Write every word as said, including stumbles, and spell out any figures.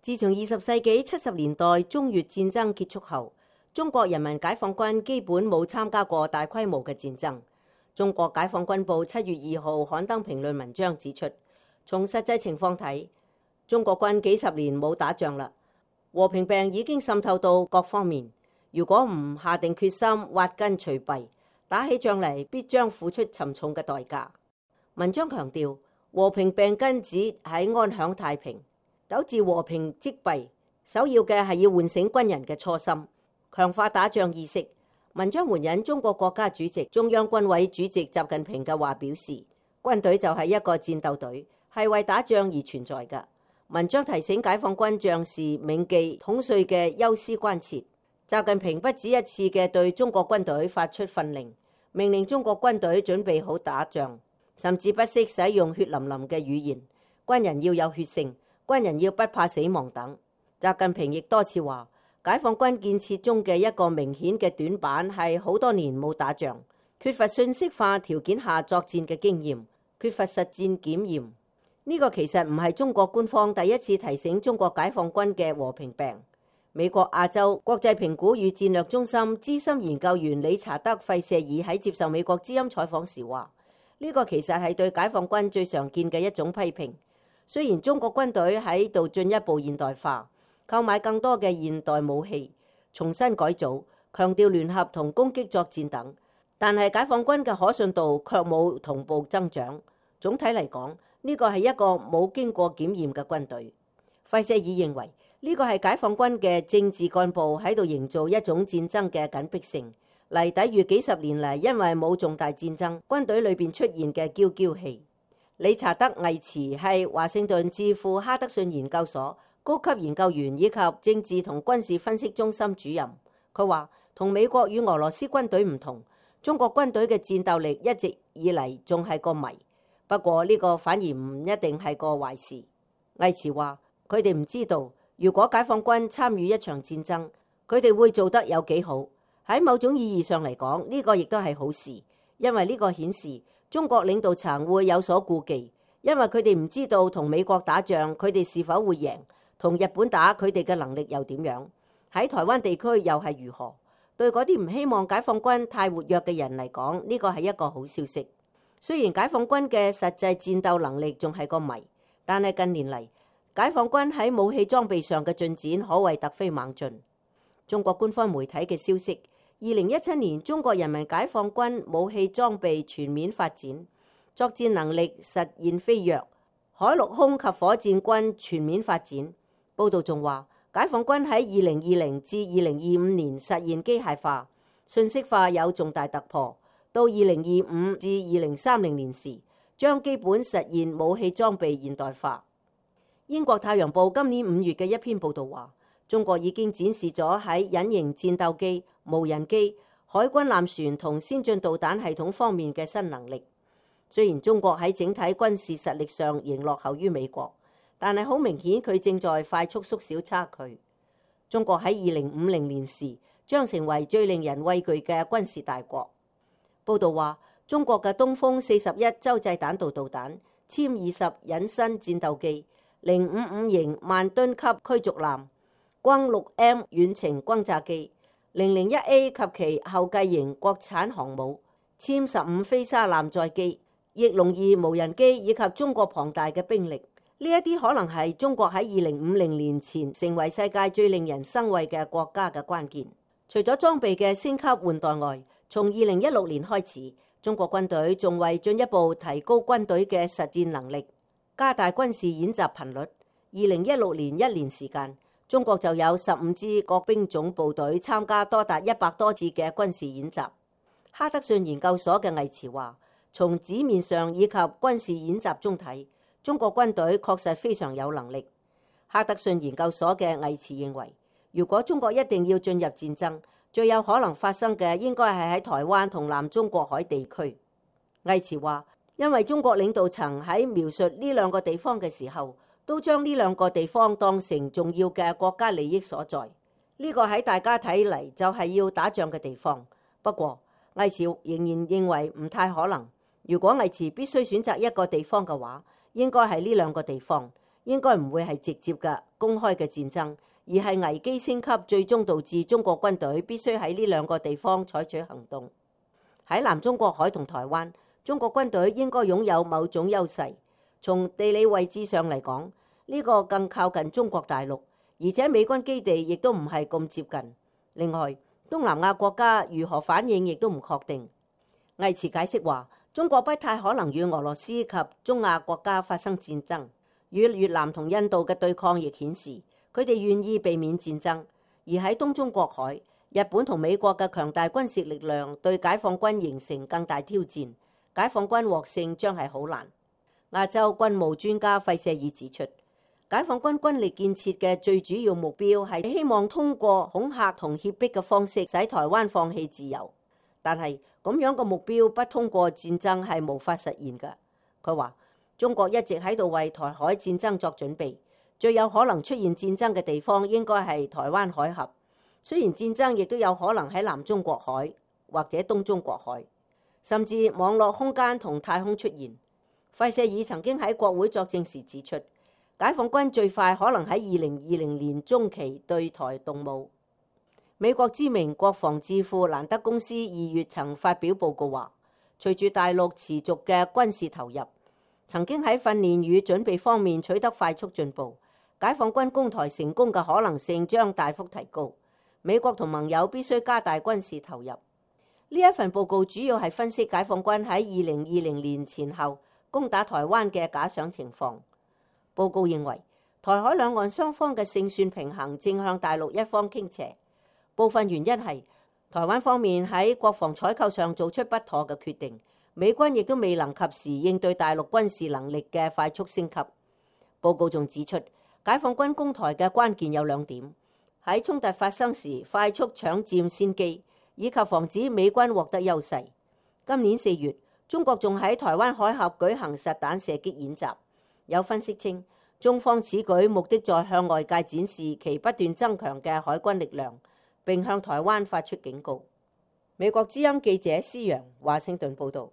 自從二十世紀七十年代中越戰爭結束後，中國人民解放軍基本冇參加過大規模嘅戰爭。中國解放軍報七月二號刊登評論文章指出，從實際情況睇，中國軍幾十年冇打仗啦，和平病已經滲透到各方面。如果唔下定決心挖根除弊，打起仗嚟必將付出沉重嘅代價。文章強調，和平病根子喺安享太平。糾治和平積弊，首要嘅係要喚醒軍人嘅初心，強化打仗意識。文章援引中國國家主席、中央軍委主席習近平嘅話表示，軍隊就係一個戰鬥隊，係為打仗而存在嘅。文章提醒解放軍將士銘記統帥嘅憂思關切。習近平不止一次嘅對中國軍隊發出訓令，命令中國軍隊準備好打仗，甚至不惜使用血淋淋嘅語言，軍人要有血性，軍人要不怕死亡等。習近平亦多次話，解放軍建設中嘅一個明顯嘅短板係好多年冇打仗，缺乏信息化條件下作戰嘅經驗，缺乏實戰檢驗。呢個其實唔係中國官方第一次提醒中國解放軍嘅和平病。美國亞洲國際評估與戰略中心資深研究員理查德·費舍爾喺接受美國之音採訪時話，呢個其實係對解放軍最常見嘅一種批評。雖然中國軍隊喺度進一步現代化，購買更多嘅現代武器，重新改組，強調聯合同攻擊作戰等，但係解放軍嘅可信度卻冇同步增長。總體嚟講，呢個係一個冇經過檢驗嘅軍隊。費舍爾認為，呢個係解放軍嘅政治幹部喺度營造一種戰爭嘅緊迫性，嚟抵禦幾十年嚟因為冇重大戰爭，軍隊裏邊出現嘅嬌嬌氣。理查德·魏茨係華盛頓智庫哈德遜研究所高級研究員以及政治同軍事分析中心主任。佢話，同美國與俄羅斯軍隊唔同，中國軍隊嘅戰鬥力一直以嚟仲係個謎。不過呢個反而唔一定係個壞事。魏茨話，佢哋唔知道，如果解放軍參與一場戰爭，佢哋會做得有幾好。喺某種意義上嚟講，呢個亦都係好事，因為呢個顯示中國領導層會有所顧忌，因為佢哋唔知道同美國打仗佢哋是否會贏，同日本打佢哋嘅能力又點樣，喺台灣地區又係如何。對嗰啲唔希望解放軍太活躍嘅人嚟講，呢個係一個好消息。雖然解放軍嘅實際戰鬥能力仲係個謎，但係近年嚟解放軍喺武器裝備上嘅進展可謂突飛猛進。中國官方媒體嘅消息，二零一七年中國人民解放軍武器裝備全面發展，作戰能力實現飛躍，海陸空及火箭軍全面發展。報道仲話，解放軍喺二零二零至二零二五年實現機械化、信息化有重大突破，到二零二五至二零三零年時，將基本實現武器裝備現代化。英國太陽報今年五月嘅一篇報道話，中國已經展示咗喺隱形戰鬥機、無人機、海軍艦船同先進導彈系統方面嘅新能力。雖然中國喺整體軍事實力上仍落後於美國，但係好明顯佢正在快速縮小差距。中國喺二零五零年時將成為最令人畏懼嘅軍事大國。報道話，中國嘅東風四十一洲際彈道導彈、殲二十隱身戰鬥機、零五五型萬噸級驅逐艦、轟六 M 遠程轟炸機、零零一 A 及其後繼型國產航母、殲十五飛沙艦載機、翼龍二無人機以及中國龐大嘅兵力，呢一啲可能係中國喺二零五零年前成為世界最令人生畏嘅國家嘅關鍵。除咗裝備嘅升級換代外，從二零一六年開始，中國軍隊仲為進一步提高軍隊嘅實戰能力，加大軍事演習頻率。二零一六年一年時間，中國就有十五支各兵種部隊參加多達一百多次嘅軍事演習。哈德遜研究所嘅魏茨話，從紙面上以及軍事演習中睇，中國軍隊確實非常有能力。哈德遜研究所嘅魏茨認為，如果中國一定要進入戰爭，最有可能發生嘅應該係喺台灣同南中國海地區。魏茨話，因為中國領導層喺描述呢兩個地方嘅時候，都將呢兩個地方當成重要嘅國家利益所在。呢個喺大家睇嚟就係要打仗嘅地方。不過，魏茨仍然認為唔太可能。如果魏茨必須選擇一個地方嘅話，應該係呢兩個地方，應該唔會係直接嘅公開嘅戰爭，而係危機升級，最終導致中國軍隊必須喺呢兩個地方採取行動。喺南中國海同台灣，中國軍隊應該擁有某種優勢。從地理位置上嚟講，呢個更靠近中國大陸，而且美軍基地亦都唔係咁接近。另外，東南亞國家如何反應亦都唔確定。魏慈解釋話，中國不太可能與俄羅斯及中亞國家發生戰爭。與越南同印度嘅對抗亦顯示，佢哋願意避免戰爭。而喺東中國海，日本同美國嘅強大軍事力量對解放軍形成更大挑戰，解放軍獲勝將係好難。亞洲軍務專家費舍爾指出，解放軍軍力建設嘅最主要目標係希望通過恐嚇同脅迫嘅方式使台灣放棄自由，但係咁樣嘅目標不通過戰爭係無法實現嘅。佢話，中國一直喺度為台海戰爭作準備，最有可能出現戰爭嘅地方應該係台灣海峽。雖然戰爭亦都有可能喺南中國海或者東中國海，甚至網絡空間同太空出現。費舍爾曾經喺國會作證時指出，解放軍最快可能喺二零二零年中期對台動武。美國知名國防智庫蘭德公司二月曾發表報告話，隨住大陸持續嘅軍事投入，曾經喺訓練與準備方面取得快速進步，解放軍攻台成功嘅可能性將大幅提高。美國同盟友必須加大軍事投入。呢一份報告主要係分析解放軍喺二零二零年前後攻打台灣嘅假想情況。報告認為，台海兩岸雙方嘅勝算平衡正向大陸一方傾斜。部分原因係台灣方面喺國防採購上做出不妥嘅決定，美軍亦都未能及時應對大陸軍事能力嘅快速升級。報告仲指出，解放軍攻台嘅關鍵有兩點：喺衝突發生時快速搶佔先機，以及防止美軍獲得優勢。今年四月，中國仲喺台灣海峽舉行實彈射擊演習。有分析稱，中方此舉目的在向外界展示其不斷增強嘅海軍力量，並向台灣發出警告。美國之音記者施洋華盛頓報導。